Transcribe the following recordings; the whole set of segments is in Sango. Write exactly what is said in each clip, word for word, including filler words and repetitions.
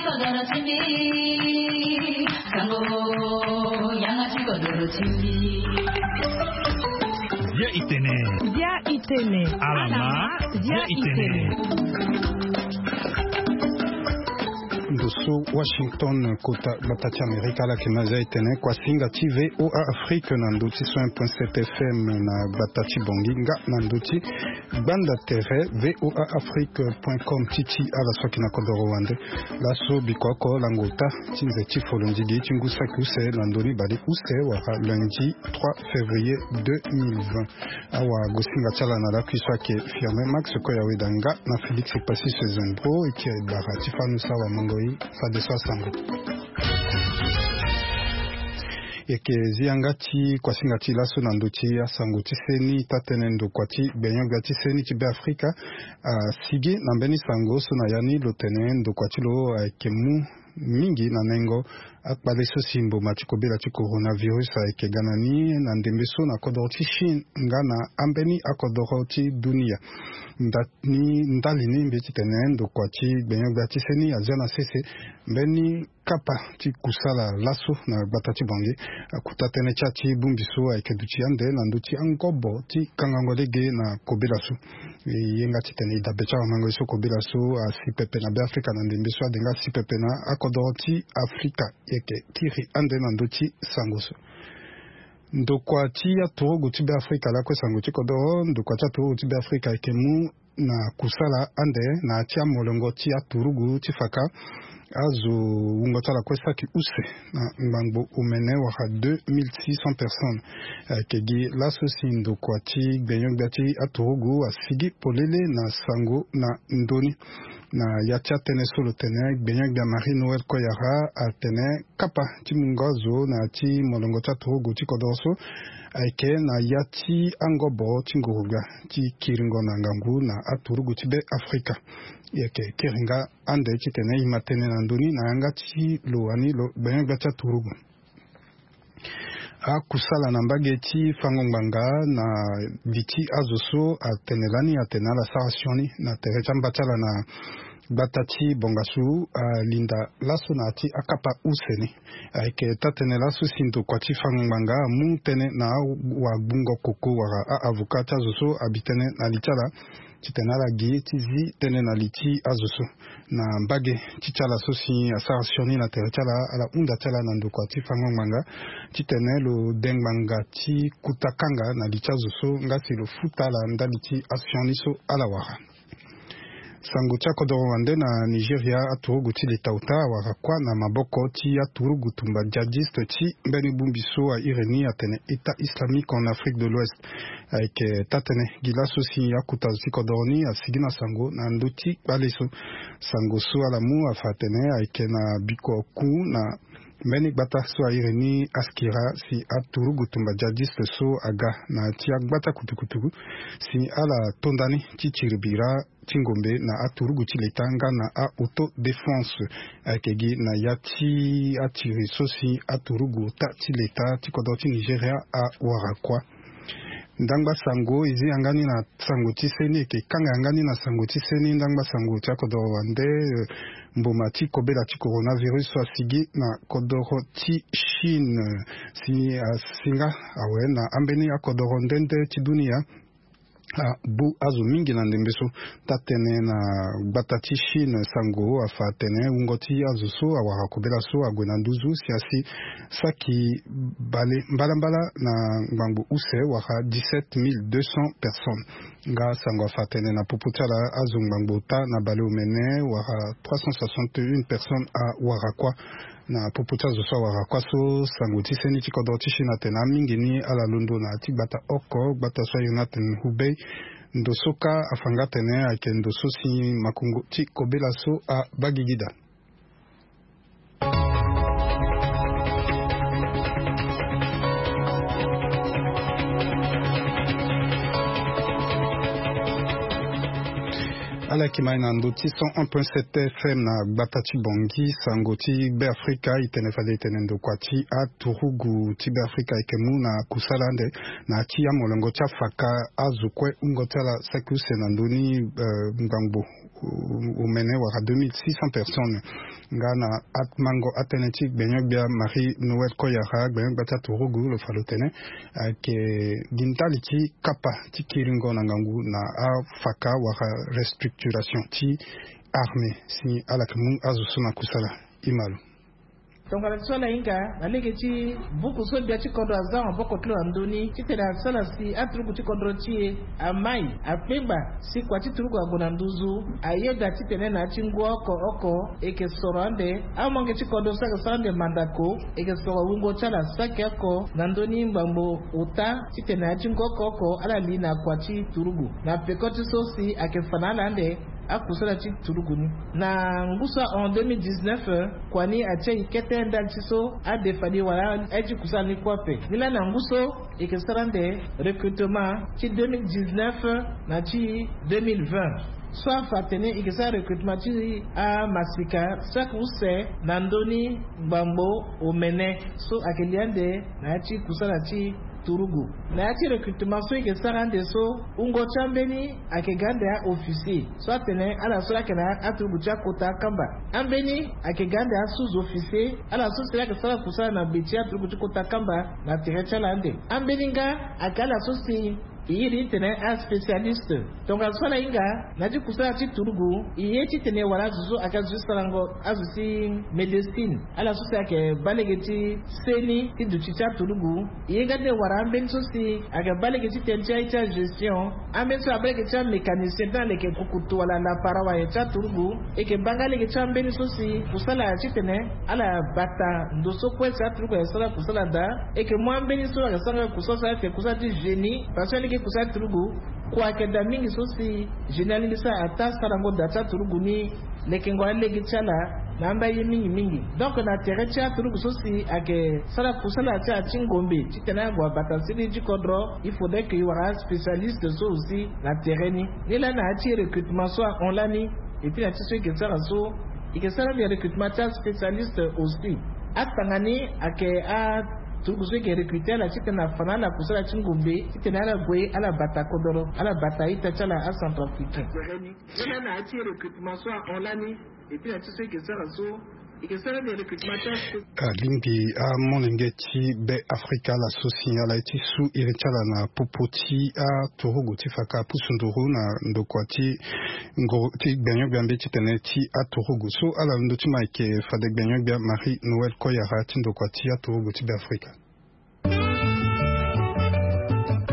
Bia itene. Bia itene. Alama. Bia itene. Ndo so Washington, kota gbata ti Amerika, ala yeke na zia itene kuasinga ti V O A Afrique na ndö ti cent un point sept F M na gbata ti Bangui, nga na ndö ti gbanda tere V O A Afrique point com ti ti ala so ayeke na kodoro wande. Laso biko oko lango ota ti nze ti folondigi ti ngu saki use na ndö ni bale use wala lundi trois février deux mille vingt. Awagosinga ti ala na lakui so ayeke Firmin Max Koyaweda nga na Félix Passy Sezembro, e ti e bara ti fanu so awamango e fadeso asango. E yeke zi yanga ti kuasinga ti laso na ndö ti asango ti seni. Taa-tënë ndokua ti gbenyo-gbia ti seni ti Beafrika asigi na mbeni sango so na ya ni lo tene ndokua ti lo ayeke mu mingi na nengo akpale so si mboma ti kobela ti coronavirus ayeke ga na ni na ndembe so na kodoro ti Chine nga na ambeni akodoro ti dunia. Nda ni ndali ni mbi ti tene ndokua ti gbenyo-gbia ti seni azia na sese mbeni kapa ti kusala laso na gbata ti Bangui. Akota tënë ti ya ti bongbi so ayeke duti ande na ndö ti angobo ti kangango lege na kobela so. E ye nga ti tene e dabe ti awamango ye so kobela so asi pepe na Beafrika na ndembe so ade nga asi pepe na akodoro ti Afrika. E yeke kiri ande na ndö ti sango so. Ndokua ti aturugu ti Beafrika lakue sango ti kodoro, ndokua ti aturugu ti Beafrika ayeke mu na kusala ande na ya ti amolongo ti aturugu ti faka azo wungo ti ala kue saki use na ngbangbo omene wala deux mille six cents personnes. Ayeke gi laso si ndokua ti gbenyo-gbia ti aturugu asigi polele na sango na ndö ni. Na ya ti atënë so lo tene gbenyo-gbia Marie Noël Koyara atene kapa ti mungo azo na ya ti molongo ti aturugu ti kodoro so ayeke na ya ti angobo ti nguru-gbia ti kiringo na ngangu na aturugu ti Beafrika. E yeke kiri nga ande titene e ma tënë na ndö ni na yanga ti lo wani lo gbenyo-gbia ti aturugu. Akusala na mbage ti fango ngbanga na li ti azo so atene lani atene ala sara sioni na tere ti amba ti ala na gbata ti Bongasu alinda laso na ya ti akapa use ni. Ayeke taa-tënë laso si ndokua ti fango ngbanga amu tënë na awagbungo koko wala a-avocat ti azo so abi tënë na li ti ala titene ala gi ti zi tënë na li ti azo so. Na mbage ti ti ala so si asara sioni na tere ti ala, ala hunda ti ala na ndokua ti fango ngbanga titene lo de ngbanga ti kuta kanga na li ti azo so nga si lo futa ala ndali ti asioni so ala wara. Sango ti akodoro wande na Nigeria, aturugu ti leta ota awara kuâ na maboko ti aturugu tumba djihadiste ti mbeni bongbi so a iri ni atene État islamique en Afrique de l'Ouest. Ayeke taa-tënë gi laso si akuta zo ti kodoro ni asigi na sango na ndö ti kpale so. Sango so ala mu afa atene ayeke na biko ku na mbeni gbata so a iri ni Askira si aturugu tumba djihadiste so aga na ya ti agbata kutukutu si ala to ndani ti tiri bira ti ngombe na aturugu ti leta nga na a-autodéfense. Ayeke gi na ya ti atiri so si aturugu ota ti leta ti kodro ti Nigeria awara kuâ. Ndangba sango e zi yanga ni na sango ti seni, e yeke kanga yanga ni na sango ti seni. Ndangba sango ti akodoro wande, eh, mboma ti kobela ti coronavirus so asigi na kodoro ti Chine, eh, si asinga awe na ambeni akodoro nde nde ti dunia. Abu azo mingi na ndembe so. Taa-tënë na gbata ti Chine sango afa atene wungo ti azo so awara kobela so ague na nduzu si asi saki bale mbalambala na ngbangbo use wala dix-sept mille deux cents personnes. Nga sango afa atene na popo ti ala azo ngbangbo ota na bale omene wala trois cent soixante et une personnes awara kuâ. Na popo ti azo so awara kuâ so, sango ti seni ti kodro ti Chine atene amingi ni ala londo na ya ti gbata oko, gbata so airi ni atene Hubei. Ndo so kâ afa nga atene ayeke ndo so si makongo ti kobela so abaa gigida. Ala yeke ma e na ndö ti cent un point sept F M na gbata ti Bangui. Sango ti Be Afrika e tene fade e tene ndokua ti aturugu ti Be Afrika e yeke mu na kusala ande na ya ti amolongo ti afaka azo kue wungo ti ala saki use na ndö ni, eh, ngbangbo omene wala deux mille six cents personnes. Nga na amango atënë ti gbenyo-gbia Marie Noël Koyara, gbenyo-gbia ti aturugu, lo fa lo tene ayeke gi ndali ti kapa ti kiringo na ngangu na afaka wala restructuration ti armée si ala yeke mu azo so na kusala. Ima lo. Tongana ti so ala hinga na lege ti buku so gbia ti kodro aza maboko ti lo na ndö ni titene asara si aturugu ti kodro ti e amai akpengba si kua ti turugu ague na nduzu, ayeda titene na ya ti ngu oko oko e yeke soro ande amolenge ti kodro so ayeke sara ande mandako, e yeke soro wungo ti ala saki oko na ndö ni ngbangbo ota titene na ya ti ngu oko oko ala li na kua ti turugu. Na peko ti so si ayeke fa na ala ande akusala ti turugu ni. Na ngu so ahon deux mille dix-neuf, kua ni atia e kete ndali ti so adefa ni wala aye ti kusala ni kue ape. Nilaa na ngu so e yeke sara ande recrutement ti deux mille dix-neuf na ti deux mille vingt. So afa atene e yeke sara recrutement ti amasika saki use na ndö ni ngbangbo omene so ayeke li ande na ya ti kusala ti turugu. Na ya ti recrutement so e yeke sara ande so, wungo ti ambeni ayeke ga ande a-officier so atene ala so laa ayeke na aturugu ti akota akamba. Ambeni ayeke ga ande a-sous-officier, ala so si laa ayeke sara kusala na gbe ti aturugu ti kota akamba na tere ti ala ande. Ambeni nga ayeke ala so si e iri titene aspécialiste. Tongana so ala hinga na ya ti kusala ti turugu, e ye titene wala azo so ayeke azo ti sarango azo ti médecine, ala so si ayeke baa lege ti seni ti duti ti aturugu. E ye nga tene wara ambeni so si ayeke baa lege ti tënë ti aye ti agestion, ambeni so abaa lege ti amécanicien ti na leke kukutu wala lapara wala aye ti aturugu. E yeke baa nga lege ti ambeni so si kusala titene ala bata ndo so kue si aturugu ayeke sara kusala daa. E yeke mu ambeni so ayeke sara kusala so ayeke kusala ti génie, parce que lege kusala ti turugu kua ayeke daa mingi so si génie alingbi so ataa sarango daa ti aturugu ni. Lekengo alege ti ala na amba ye mingi mingi. Donc na tere ti aturugu so si ayeke sara kusala ti ala ti ngombe titene ague abata seni ti kodro, il faudrait que e wara aspécialiste so aussi na tere ni. Nilaa na ya ti recrutement so ahon lani, et puis na ya ti so e yeke sara so e yeke sara ande recrutement ti aspécialiste aussi. Atanga ni ayeke aturugu so e yeke recruter ala titene afa na ala kusala ti ngombe titene ala gue ala bata kodoro, ala bata ita ti ala acentrafricain. Nilaa na ya ti recrutement so ahon lani, et puis na ya ti so e yeke sara so e yeke sara ande recrutement ti aspécialiste. Alingbi amolenge ti Be Afrika ala so si ala ye ti su iri ti ala na popo ti aturugu ti faka apusu nduru na ndokua ti nguru ti gbenyo-gbia mbeti titene ti aturugu so ala londo ti ma ayeke fade gbenyo-gbia Marie Noël Koyara ti ndokua ti aturugu ti Be Afrika.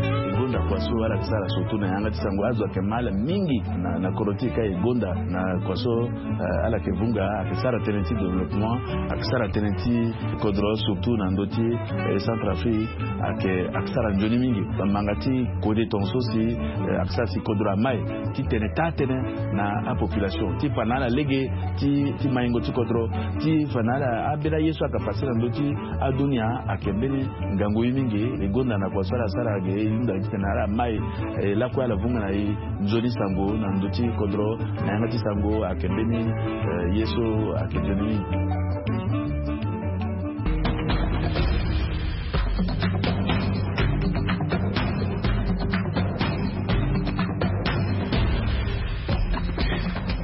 E gonda kua so ala yeke sara surtout na yanga ti sango azo ayeke ma ala mingi na, na kodro ti e ka e gonda na kua so, eh, ala yeke vunga ayeke sara tënë ti développement, ayeke sara tënë ti kodro surtout na ndö ti, eh, Centrafrique, ayeke, ayeke sara nzoni mingi. Bamanga ti kode tongaso si, eh, ayeke sara si kodro amai titene taa tënë na apopulation ti fa na ala lege ti, ti maingo ti kodro, ti fa na ala ambeni aye so ayeke pase na ndö ti adunia ayeke mbeni ngangu ye mingi. E gonda na kua so ala sara ge e hunda titene ala mai, eh, lakue ala vunga na e nzoni sango na ndö ti kodro na yanga ti sango ayeke mbeni, eh, ye so ayeke nzoni mingi.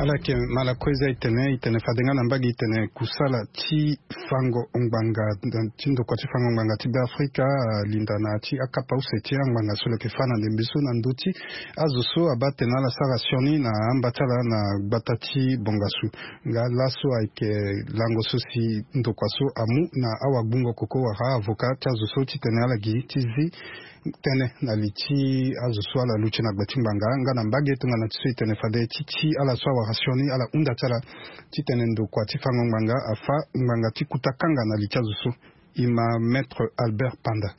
Ala yeke ma ala kue za e tene, e tene fade nga na mbage e tene kusala ti fango ngbanga, ti ndokua ti fango ngbanga ti Be Afrika, ah, alinda na ya ti akapa use ti angbanga so lo yeke fâ na ndembe so na ndö ti azo so abaa tene ala sara sioni na amba ti ala na gbata ti bongasu. Nga laso ayeke lango so si ndokua so amu na awagbungo koko wala avocat ti azo so titene ala gi ti zi tënë na li ti azo so ala luti na gbe ti ngbanga. Nga na mbage tongana ti so e tene fade ti ti ala so awara sioni ala hunda ti ala titene ndokua ti fango ngbanga afâ ngbanga ti kuta kanga na li ti azo so. E ma Maître Albert Panda.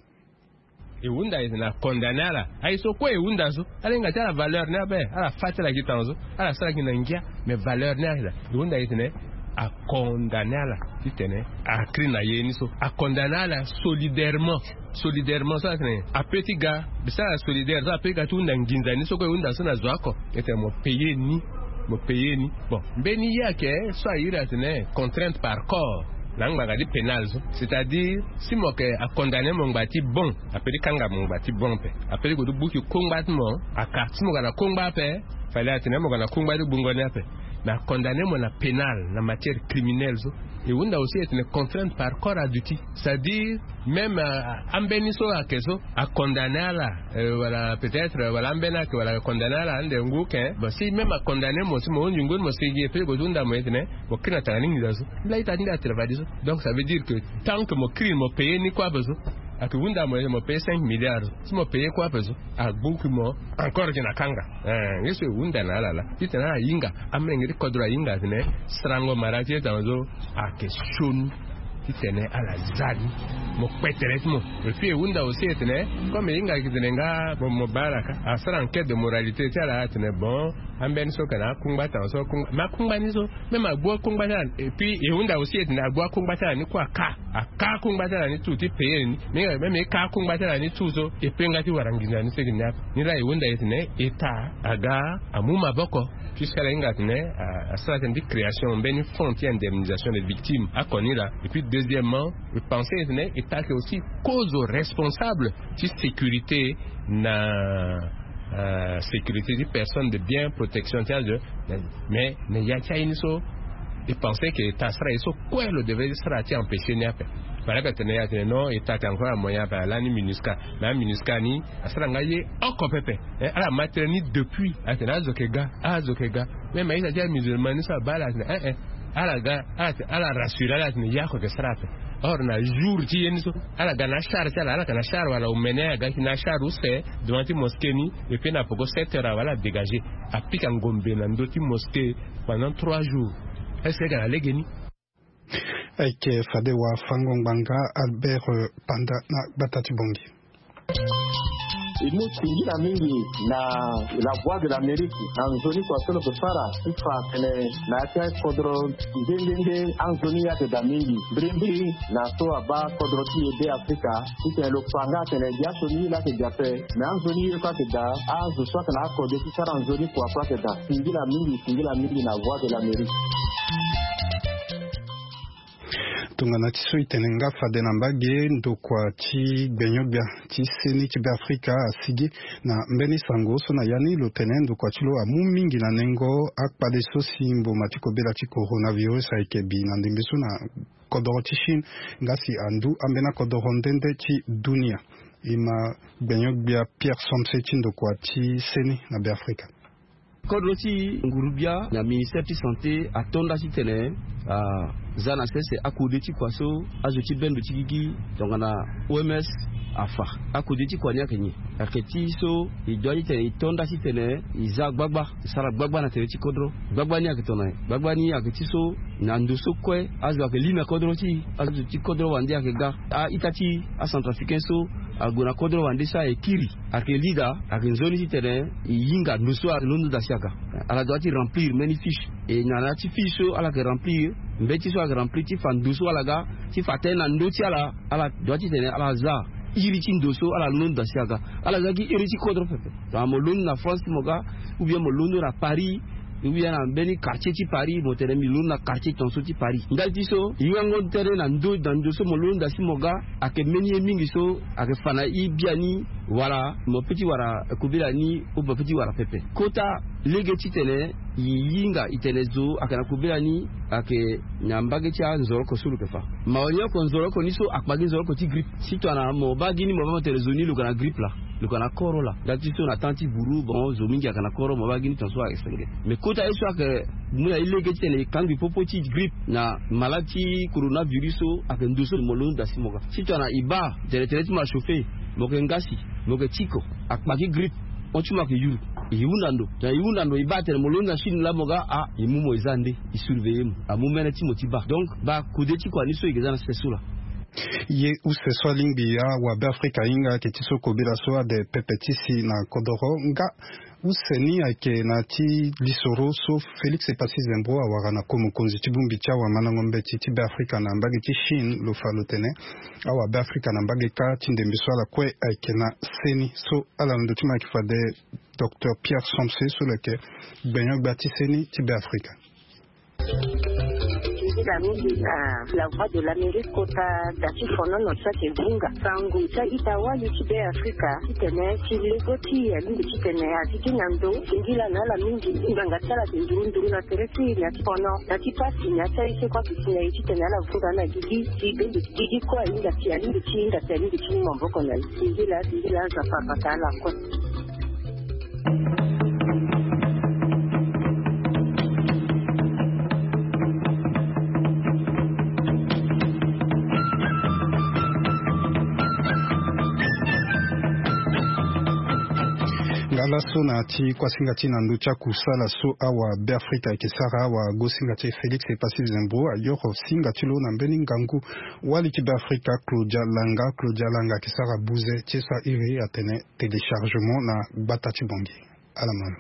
E hunda e tene acondamné ala. Aye so kue e hunda so ala hinga ti ala valeur ni ape, ala fâ ti ala gi tanga so, ala sara gi na ngia. Mais valeur ni ala e hunda e tene acondamné ala titene akri na ye ni so, acondamné ala solidairement. Solidairement so ala tene ape ti ga, be so ala solidaire so ape ti ga ti hunda nginza ni so kue e hunda so na zo oko. E tene mo payer ni Mo paye ni. Bon, mbeni ye ayeke so a iri atene contrainte par corps na ngbanga ti pénal so, c'est-à-dire si mo yeke a condamné mo ngba ti bon, a peut ti kanga mo ngba ti bon ape. A peut ti gue ti gbuki kongba ti mo. Aka si mo ga na kongba ape, fallait atene mo ga na kongba ti gbungo ni ape. Mais a condamné mo na pénal na matière criminelle so. E hunda aussi etene contrainte par corps aduti, c'est-à-dire même ambeni so ayeke so a condamné ala, wala peut-être wala ambeni ayeke wala a condamné ala ande ngu ken. Bon, si même a condamné mo si mo hunzi ngu ni mo sigi e pe go ti hunda mo etene mo kiri na tanga ni nginza so. Laa ita ti nde a travail so. Donc ça veut dire que tant que mo kiri ni mo paye ni kue ape so, ayeke hunda mo ete mo paye cinq milliards. Si mo paye kue ape so, agbuki mo encore gi na kanga. Nge so e hunda na ala laa titene ala hinga. Amolenge ti kodro ahinga atene sarango mara ti ye tanga so ayeke sioni. Titene ala za ni mo kpe tere ti mo. Et puis e hunda aussi etene comme e hinga ayeke tene nga mo baa ala ka asara enquête de moralité ti ala atene bon, ambeni so yeke na akungba tanga so akungba mais akungba ni so. Même agbu akungba ti ala et puis e hunda aussi etene agbu akungba ti ala ni kue aka aka akungba ti ala ni tout ti paye ni. Même e ka akungba ti ala ni tout so e pe nga ti wara nginza ni seke ni ape. Ni laa e hunda etene état aga amu maboko. Puisque ala hinga atene asara tënë ti création mbeni fonds ti indemnisation des victimes oko ni laa. Et puis deuxièmement, e pense etene état ayeke aussi cause responsable ti sécurité na sécurité ti personne de bien protection ti azo. Mais na ya ti aye ni so e pense ke état asara ye so kue lo devait ti sara ti empêcher ni ape. Fallait atene ya atene non, état ayeke encore amoyen ape alani minusca. Mais aminusca ni asara nga ye oko pepe. Ala ma tënë ni depuis atene azo yeke ga azo yeke ga. Mais ma ita ti amusulman ni so abaa ala atene eh eh ala ga ala rassurer ala atene ye oko yeke sara ape. Or na jour ti ye ni so ala ga na achar ti ala ala yeke na achar wala omene aga ti na achar use devant ti mosquée ni. Et puis na poko sept heures awe ala dégager apika ngombe na ndö ti mosquée pendant trois jours. Est-ce que ayeke na lege ni? Ayeke fade wafango-ngbanga Albert Panda na gbata ti Bangui. E mu singila mingi na La Voix de l'Amérique na nzoni kua so lo yeke sara ti fa atene na ya ti akodro nde nde nde anzoni ye ayeke daa mingi. Mbirimbiri na so abaa kodro ti e Be Afrika titene lo fa nga atene biaso ni ye laa ayeke daa ape. Me anzoni ye kue ayeke daa azo so ayeke na akode ti sara nzoni kua kue ayeke daa. Singila mingi singila mingi na Voix de l'Amérique. Tongana ti so e tene nga fade na mbage ndokua ti gbenyo-gbia ti seni ti Beafrika asigi na mbeni sango so na ya ni lo tene ndokua ti lo amu mingi na nengo akpale so si mboma ti kobela ti coronavirus ayeke bi na ndembe so na kodoro ti Chine nga si andu ambeni akodoro nde nde ti dunia. E ma gbenyo-gbia Pierre Somse ti ndokua ti seni na Beafrika. Kodro ti nguru-gbia na ministère ti santé ato nda titene aza na sese akode ti kua so azo ti bendo ti gigi tongana O M S afa. Akode ti kua ni ayeke nyen? Ayeke ti so e dua titene e to nda titene e za gbagba, e sara gbagba na tere ti kodro. Gbagba ni ayeke tongana nyen? Gbagba ni ayeke ti so na ndo so kue azo ayeke li na kodro ti e, azo ti kodro wande ayeke ga. A-ita ti acentrafricain so ague na kodro wande so aye kiri ayeke li daa. Ayeke nzoni titene e hinga ndo so alondo daa si aga. Ala dua ti remplir mbeni fiche. E na ya ti fiche so ala yeke remplir, mbeti so ala yeke remplir ti fa ndo so ala ga, ti fa tënë na ndö ti ala. Ala dua titene ala za iri ti ndo so ala londo daa si aga. Ala za gi iri ti kodro pepe. Tongana mo londo na France ti mo ga, ou bien mo londo na Paris, ou bien na mbeni quartier ti Paris, mo tene mbi londo na quartier tongaso ti Paris. Ndali ti so e hingango tënë na ndö na ndo so mo londo daa si mo ga. Ayeke mbeni ye mingi so ayeke fa na e biani, wala mo pe ti wara kobela ni ou mo pe ti wara pepe. Kota lege titene e hinga e tene zo ayeke na kobela ni ayeke na mbage ti anzoroko so lo yeke fa. Mawa ni oko nzoroko ni so akpa gi nzoroko ti grippe. Si tongana mo baa gi ni mo baa mo tene zo ni lo yeke na grippe laa, lo yeke na koro laa. Ndali ti so na temps ti buru bon zo mingi ayeke na koro mo baa gi ni tongaso ayeke senge. Mais kota ye so ayeke mu na e lege titene e kangbi popo ti grippe na malade ti coronavirus so ayeke ndo so mo londo daa si mo ga. Si tongana e baa tene tënë ti mo achauffer, mo yeke ngasi, mo yeke tiko, akpa gi grippe, hon ti mo ayeke yuru, e hunda ndo. Tongana e hunda ndo e baa tene mo londo na Chine laa mo ga, ah, e mu mo e za nde, e surveiller mo. Amu mene ti mo ti baa. Donc baa kode ti kua ni so e yeke za na sese so laa. Ye use so alingbi awabe Afrika ahinga ayeke ti so kobela so ade pepe ti si na kodoro nga Use ni ayeke na ti lisoro so Félix Epassi Zembro awara na ko mokonzi ti bongbi ti awamandango mbeti ti Beafrika na mbage ti Chine, lo fa lo tene awabeafrika na mbage kâ ti ndembe so ala kue ayeke na seni. So ala na ndo ti mo ayeke fade Docteur Pierre Somse so lo yeke gbenyo-gbia ti seni ti Beafrika. Nzila mingi na La Voix de l'Amérique kota da ti fonono ti ake bunga sango ti a-ita wali ti Beafrika titene ti lego ti alingbi titene a ti gi na ndo. Singila na ala mingi nganga ti ala ake nduru nduru na tere ti na ti fono na ti pasi na ti aye so kue ake si na e titene ala vunga na gigi ti bende ti gigi kue ahinga ti alingbi ti hinga ti alingbi ti mu maboko na e. Singila singila Nzapa abata ala kue. Nga laso na ti kuasinga ti na ndö ti akusala so awabeafrika ayeke sara, awagosinga ti e Félix Epassi Zembro ayoro singa ti lo na mbeni ngangu wali ti Beafrika Claudia Langa. Claudia Langa ayeke sara buze ti e so a iri atene téléchargement na gbata ti Bangui. Ala ma lo.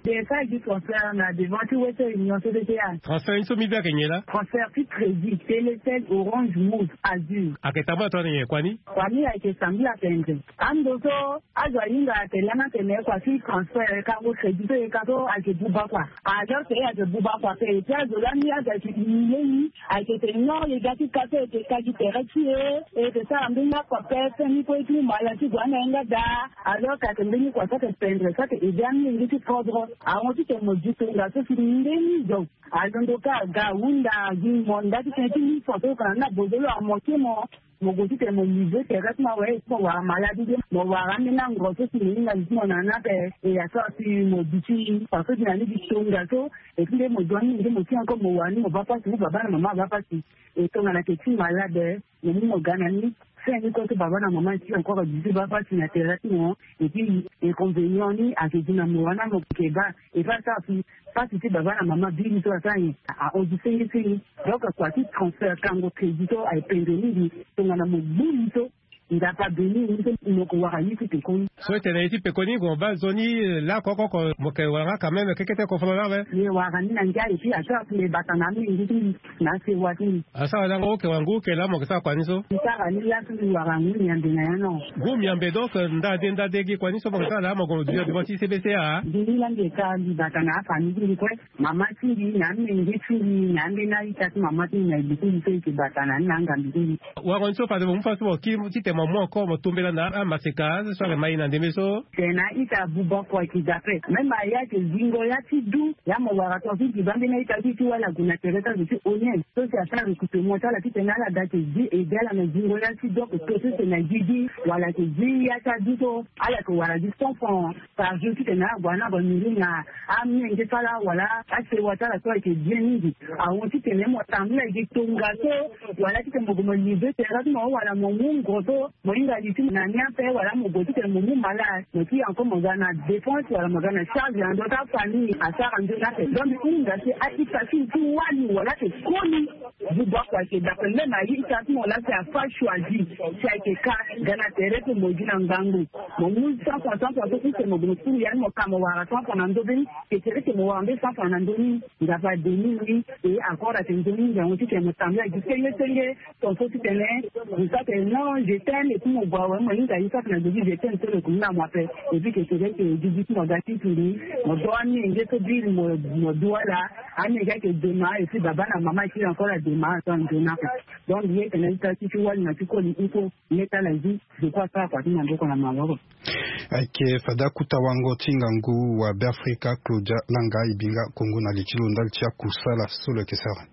Des salles du transfert na devant ti Western Union, C D T A. Transfert ni so mbi be ayeke nyen laa? Transfert ti crédit, Télécel, Orange, Moov, Azur. Ayeke tambula tongana nyen kua ni? Kua ni ayeke sambela tendre. Ando so azo ahinga atene lani atene kua ti transfert, kango crédit so e ka so ayeke buba kua. Alors que e ayeke buba kua ape, e ti azo lani azo ayeke humilier e. Ayeke tene non, e ga ti ka so e yeke ka gi tere ti e, e yeke sara mbeni akua ape, fin ni kue e ti mu mala ti gue anga e nga daa. Alors que ayeke mbeni kua so ayeke pendre, so ayeke aider amolenge ti kodro. Ahon titene mo di tongaso si ndeni zo alondo kâ aga ahunda, agi mo nda titene ti mu fa so oko na ni na bozo lo amoke mo. Mo gue titene mo livrer tere ti mo awe, mo wara malade ti mo, mo wara ambeni ango so si mo hinga li ti mo na ni ape. E ya so asi mo duti fa so gi na ni gi tongaso. E ti nde mo dua ni nde mo ti encore mo wara ni mo baa pasi, mo baba na mama abaa pasi. E tongana ayeke ti malade, mo mu mo ga na ni. Fin ni kue so baba na mama ti encore duti baa pasi na tere ti mo. Et puis inconvénient ni ayeke gi na mo wana mo yeke baa. E fa asara si pasi ti baba na mama biri so asara nyen? A, ahon gi senge senge. Donc kua ti transfert, kango crédit so aye pendre mingi. Tongana mo gbu li so, Nzapa abeni ni so mo yeke wara ye ti pekoni. So e tene ye ti pekoni, mo baa nzoni, eh, lakue oko oko mo yeke wara nga quand même kekete kofono ni awe. Mbi wara ni na ngia, et puis asara si mbi bata na amolenge ti mbi na asewa ti mbi. Asara lango oke wara ngu oke laa mo yeke sara kua ni so? Mbi sara ni laso mbi wara ngu miambe na ya no. Ngu miambe, donc, eh, nda de nda de gi kua ni so mo yeke sara laa mo gue mo duti na devant ti C B C A? Mbi ni laa mbi yeke sara, mbi bata na afamille ti mbi kue. Mama ti mbi na amenge ti mbi na ambeni a-ita ti mama ti mbi na e bi ti mbi so e yeke bata na ni na angambi ti mbi. Wango ni so fade mo mu fa so mo kiri titene mo mu encore mo tombela na amaseka so ayeke ma e na ndembe so. Tene a-ita abuba kua ayeke daa ape. Même a ya ayeke zingo ya ti du. Ya mo wara tongaso ti mbi baa ambeni a-ita ti e ti wali ague na tere ti azo ti O N U. So si asara recrutement ti ala titene ala daa ayeke zi ede ala na zingo ya ti du oko to so si na gigi wala ayeke zi ya ti adu so ala yeke wara gi cent francs par jour titene ague na ague nourrir na amenge ti ala wala asewa ti ala so ayeke bien mingi. Ahon titene mo tambula gi tongaso wala titene mo gue mo livrer tere ti mo wala mo mu ngo so mo hinga li ti mo na ni ape wala mo gue titene mo mu malade, mo ti encore mo ga na dépense wala mo ga na charge na ndö ti afamille. Asara nzoni ape. Donc mbi hunda si a-ita ti mbi ti wali wala ayeke koli. Buba kua ayeke daa ape. Même a-ita ti mo laa si afa choisi si ayeke ka ga na tere ti mo gi na ngangu. Mo mu cent francs, cent francs so use mo gue mo suru ya ni mo ka mo wara cent francs na ndö be ni. Ke tere ti mo wara mbeni cent francs na ndö ni. Nzapa abeni ni. E encore ayeke nzoni ngangu titene mo tambula gi senge senge. Tongaso titene mo sara tene non je t'aime, et puis mo gue awe mo hinga ye sara tene na gue ti je t'aime so lo yeke mu na mo ape. Et puis ke tere ti gigi ti mo aga ti turi. Mo do amenge so biri mo, mo du ala. Amenge ayeke dema, et puis baba na mama ayeke encore adema so anzoni ape. Donc mbi ye tene a-ita ti ti wali na ti koli iko. Mbi ye ti ala zi, je crois asara kua ti maboko na maboko. Ayeke fade akuta wango ti ngangu wa Beafrika Claudia Langa, e bi nga kongo na li ti lo ndali ti akusala so lo yeke sara.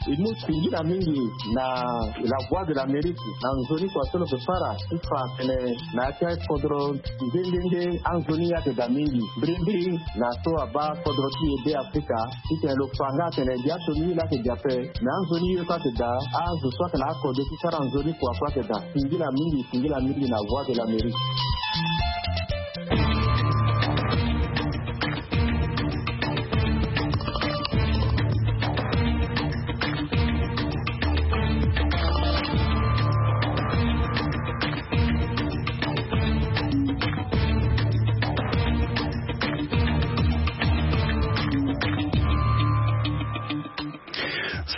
E mu singila mingi na La Voix de l'Amérique na nzoni kua so lo yeke sara ti fa atene na ya ti akodro nde nde nde anzoni ye ayeke daa mingi. Mbirimbiri na so abaa kodro ti e Beafrika titene lo fa nga atene gi aso ni ye laa ayeke gi ape. Me anzoni ye so ayeke daa azo so ayeke na akode ti sara nzoni kua kue ayeke daa. Singila mingi, singila mingi na Voix de l'Amérique.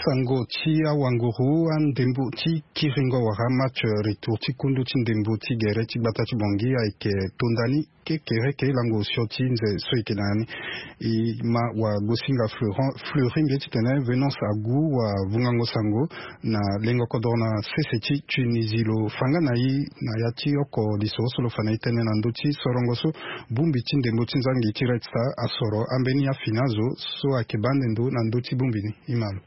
Sango ti awanguru andembo ti kiringo wala match retour ti kundu ti ndembo ti gere ti gbata ti bongi ayeke tonda ni kekereke lango osio ti nze so eke na ni. E ma wagosinga fleuri mbi ye titene venance agu wavungango sango na lengo kodoro na sese ti tunisie lo fa nga na e na ya ti oko lisoro so lo fa na e tënë na ndö ti sorongo so bongbi ti ndembo ti nzangi ti red star asoro ambeni afini azo so ayeke baa ande ndo na ndö ti bongbi ni. E ma lo.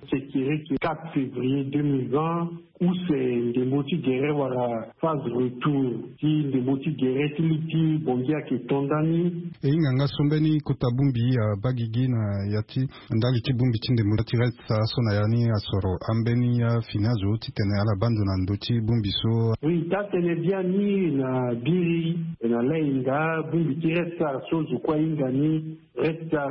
Sekiriki quatre février deux mille vingt, use ndembo ti gere wala phase retour ti ndembo ti gere ti li ti bongi ayeke to ndani. E hinga nga so mbeni kota bongbi abaa gigi na ya ti ndali ti bongbi ti ndembo ti red star so na ya ni asoro ambeni afini azo titene ala baa ndo na ndö ti bongbi so. Oui, taa tene biani na biri na lahinga bongbi ti red star so zo kue ahinga ni red star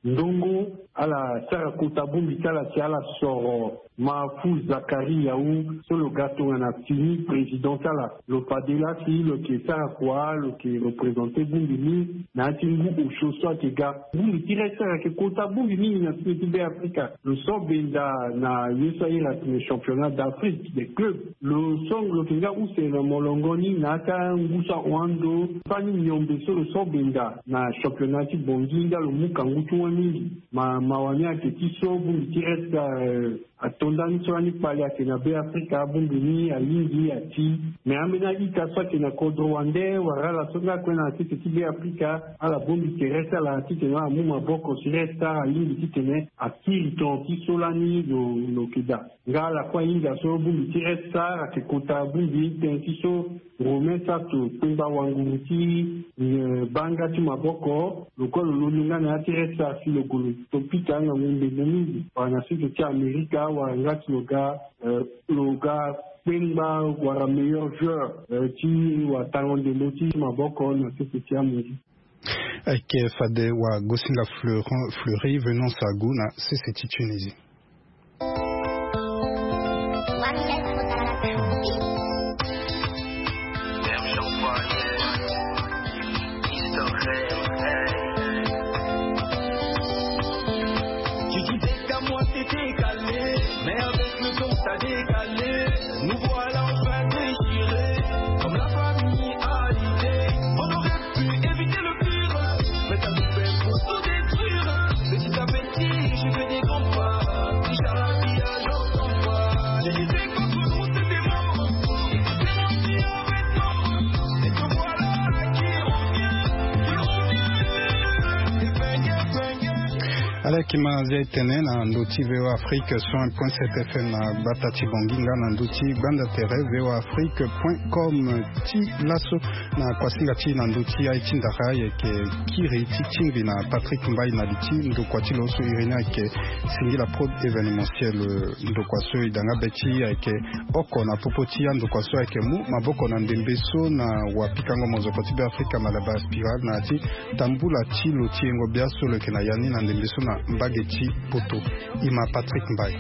ndongo ala sara kota bongbi ti ala si ala soro mafu zakari yau so lo ga tongana fini président ti ala. Lo fade laa si lo yeke sara kua lo yeke représente bongbi ni na ya ti ngu osio so ayeke ga. Bongbi ti red star ayeke kota bongbi mingi na sini ti be afrika. Lo so benda na ye so aye na tene championnat d'afrique des clubs lo so lo yeke nga use na molongo ni na ya ti angu so ahon ando fani miombe so lo so benda na championnat ti bongi nga lo mu kangu ti wani mingi. Ma mawa ni ayeke ti so bongbi ti red star ato ndani so lani kpale ayeke na be afrika bongbi ni alingbi ati. Me ambeni a-ita so ayeke na kodro wande wala ala so nga kue na sese ti be afrika ala bongbi tere ti ala titene ala mu maboko si red star alingbi titene akiri ton ti so lani lo lo yeke daa. Nga ala kue ahinga so bongbi ti red star ayeke kota bongbi tënë ti so romain sato kpengba wanguru ti baa nga ti maboko lo kue lo londo nga na ya ti red star si lo gue lo to pika ngangu ndembo mingi wala na sese ti amerika wala nga ti lo ga lo ga kpengba wala meilleur joueur ti watango ndembo ti maboko na sese ti amongi. Ayeke fade wagosinga fleuri venance agu na sese ti tunisie. Ala yeke ma zia e tene na ndö ti voa afrique cent un point sept fm na gbata ti bongi nga na ndö ti gbanda tere voa afrique point com ti laso. Na kuasinga ti na ndö ti aye ti ndara ayeke kiri ti tingbi na patrick mbai na li ti ndokua ti lo so irini ayeke singila prod événementiel. Ndokua so e danga be ti ayeke oko na popo ti andokua so ayeke mu maboko na ndembe so na wapikango mozoko ti be afrika malabar spiral na ya ti tambula ti lo ti yengo bia so lo yeke na ya ni na ndembe so na mbage ti poto. E ma patrick mbai.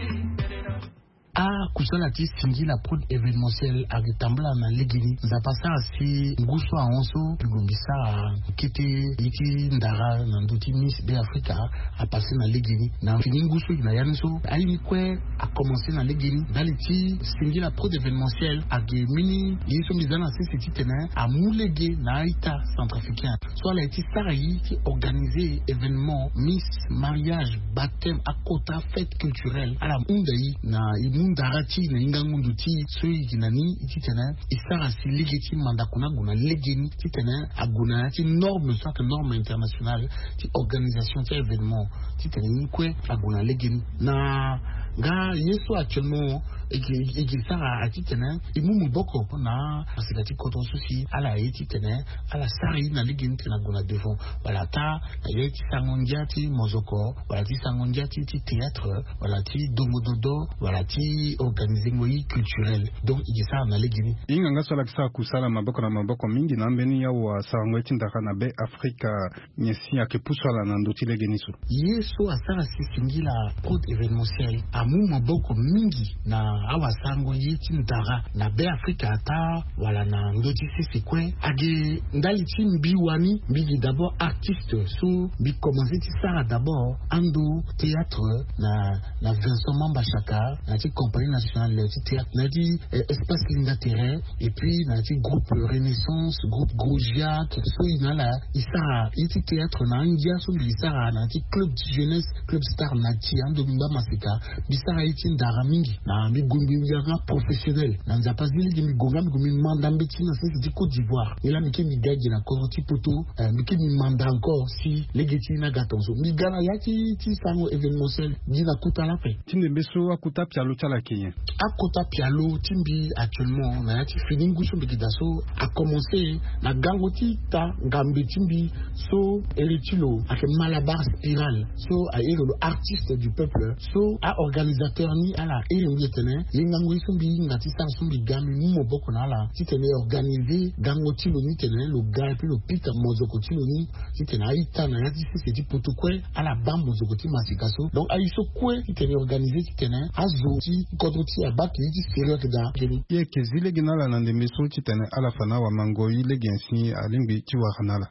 Akusala ti singila prod événementiel ayeke tambula na legeni nzapa asara si ngu so ahon so lo bi sara kete ye ti ndara na ndö ti miss be africa. Apase na legeni na fini ngu so e na ya ni so aye ni kue akomanse na legeni ndali ti singila prod événementiel ayeke mbeni ye so mbi za na sese titene amu lege na a-ita centrafricain so ala ye ti sara ye ti organise événement miss mariage baptême akota fête culturelle ala hunda ye na e mu ndara ti e na hingango ndo ti e so e yeke na ni e titene e sara si lege ti mandako ni ague na lege ni titene ague na ya ti norme so ayeke norme internationale ti organisation ti événement titene ni kue ague na lege ni na nga ye so actuellement e ke e ke sara aye titene e mu maboko na asika ti kodro so si ala ye titene ala sara ye na lege ni titene ague na devant wala ata na ye ti sango ndia ti mozoko wala ti sango ndia ti ti théâtre wala ti dongo dodo wala ti organisengo ye culturel. Donc e ke sara na lege ni. Hinga nga so ala ke sara kusala maboko na maboko mingi na ambeni awa sarango ye ti ndara na be afrika. Nyen si ayeke pusu ala na ndö ti lege ni so? Ye so asara si singila prod événementiel amu maboko mingi na Awasango ye ti ndara na Be Afrika ata wala na ndö ti sese kue. Agi ndali ti mbi wani, mbi gi d'abord artiste so mbi commencé ti sara d'abord ando théâtre na na Vincent Mamba Chaka, na ti compagnie nationale ti théâtre, na ti espace Linda Terrain, et puis na ti groupe Renaissance, groupe Gros Giac, so i na ala i sara ye ti théâtre na angia so mbi sara na ti club ti jeunesse, club star na ti ando mbi ngba masika. Mbi sara ye ti ndara mingi na mbi gue mbi yanga professionnel na Nzapa zi lege mbi gue nga mbi gue mbi manda mbeti na sese ti Côte d'Ivoire. Ye la mbi ke mbi ga gi na kodro ti poto. Mbi ke mbi manda encore si lege ti ni aga tonso mbi ga na ya ti ti sango événementiel. Gi na kota la pe ti ndembe so akota pialo ti ala ake nyen? Akota pialo ti mbi actuellement na ya ti fini ngu so mbi gi daa so akomense na gango ti ita ngambe ti mbi so ere ti lo ake Malabar Spiral, so aere lo artiste du peuple, so aorganisateur ni ala ere mbi etene ye ngangu ye so mbi hinga ti sara so mbi ga mbi mu moboko na ala titene e organiser gango ti lo ni tene lo ga epui lo pika mozoko ti lo ni titene a-ita na ya ti sese ti poto kue ala baa mozoko ti masika so. Donc aye so kue titene e organiser titene azo ti kodro ti e abaa ke ye ti sérieux ayeke daa. Ye yeke zi lege na ala na ndembe so titene ala fa na awamango-i lege nyen si alingbi ti wara na ala?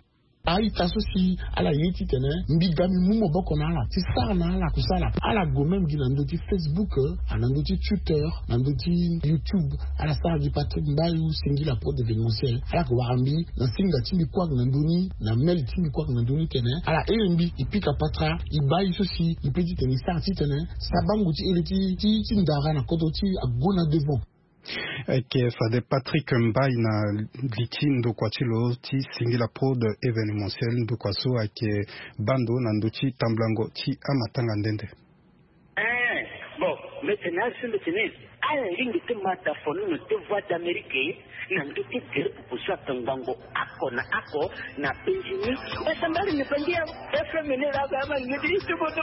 A-ita so si ala ye titene mbi ga mbi mu moboko na ala ti sara na ala kusala. Ala gue même gi na ndö ti Facebook, na ndö ti Twitter, na ndö ti YouTube. Ala sara gi Patrick Mbayu, Singila Prod Événementiel. Ala ke wara mbi na singa ti mbi kue ake na ndö ni, na mail ti mbi kue ake na ndö ni tene ala iri mbi e pika patara e baa ye so si e pe titene e sara titene sabango ti iri ti ti ti ndara na kodro ti e ague na devant. Ayeke fade Patrick Mbaye na li ti ndokua ti lo ti Singila Prod Événementiel, ndokua so ayeke baa ndo na ndö ti tambulango ti amatanga nde nde. Eh, bon, mbi tene azo mbi tene ala lingbi ti ma dafonono ti Voix d'Amérique na ndö ti gere pupu so atongbango oko na oko na penzi ni. Esa mbali ni penzi ya F M ni la ga ma ni ti bodo.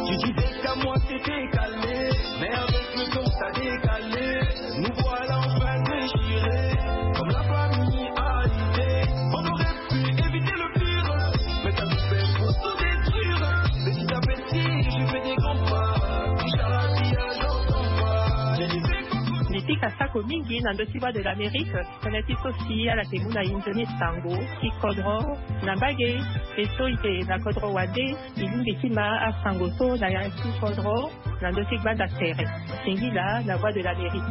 Tu disais qu'à moi c'était calé, mais avec le temps ça décalé. Nous voilà en train de déchirer, comme la famille a l'idée. On aurait pu éviter le pire, mais t'as tout fait pour tout détruire. Petit à petit, je fais des grands pas, touche à la vie, j'entends pas. Je disais que Mbi pika sako mingi na ndö ti Voix de l'Amérique, tënë ti so si ala yeke mu na e nzoni sango ti kodro na mbage. E so e yeke na kodro wande, e lingbi ti ma asango so na ya ti kodro na ndö ti gbanda tere. Singila na Voix de l'Amérique.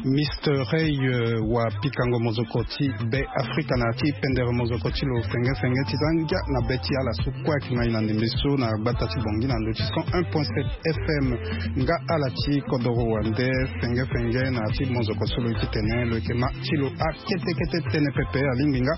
Mister Ray, euh, wa pikango mozoko ti Be Afrika na ti pendere mozoko ti lo fenge fenge ti za ngia na be ti ala so kue ayeke ma e na ndembe so na gbata ti Bangui na ndö ti cent un point sept F M. Nga ala ti kodoro wande fenge fenge na ya ti mozoko so lo ye ti tene lo yeke ma ti lo akete kete tënë pepe. Alingbi nga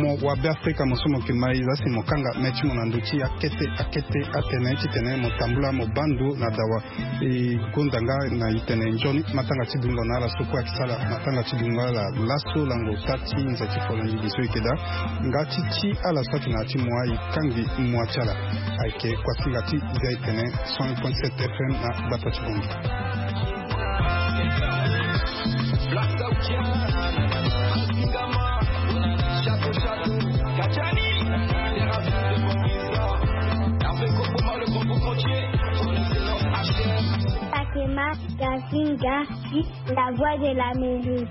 mo wa Be Afrika mo so mo yeke ma e za si mo kanga me ti mo na ndö ti akete akete atene titene mo tambula mo baa ndo na dawa. E gonda nga na e tene nzoni matanga ti dungo na ala so kue ayeke sala matanga ti dungo ala laso lango ota ti nze ti folongi gi so e yeke daa. Nga ti ti ala so ayeke na ya ti mo aye kangbi mua ti ala. Ayeke kuasinga ti za e tene cent un point sept F M na gbata ti Bangui. Fatima Gazinga, la voix de l'Amérique.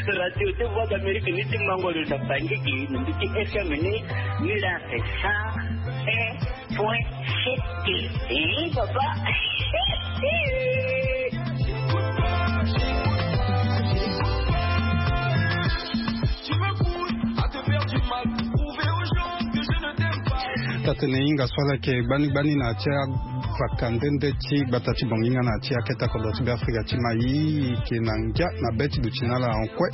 Radio ti Voix d'Amérique ni ti mango lo na Bangui gi na mbi ti F M ni, ni la cent un point sept. Eh, papa. Taa-tënë hinga so ala yeke gbani gbani na ya ti a Faka nde nde ti gbata ti bongi nga na ti akete akodro ti be afrika ti mai ike na ngia na be ti duti na ala en kue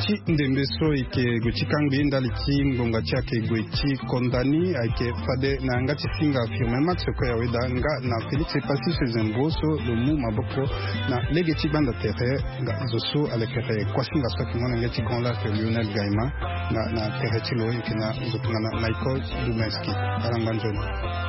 ti ndembe so ike gue ti kangbi ndali ti ngbonga ti ake gue ti kondani ayeke fade na yanga ti singa firme max koya weda nga na félix epassi sezembo so lo mu maboko na lege ti gbanda tere nga zo so alekere kuasinga so ayeke ngo na nge ti grand lac lionel gaima nga na tere ti lo yeke na zo tongana michael dumenski. Alangba nzoni.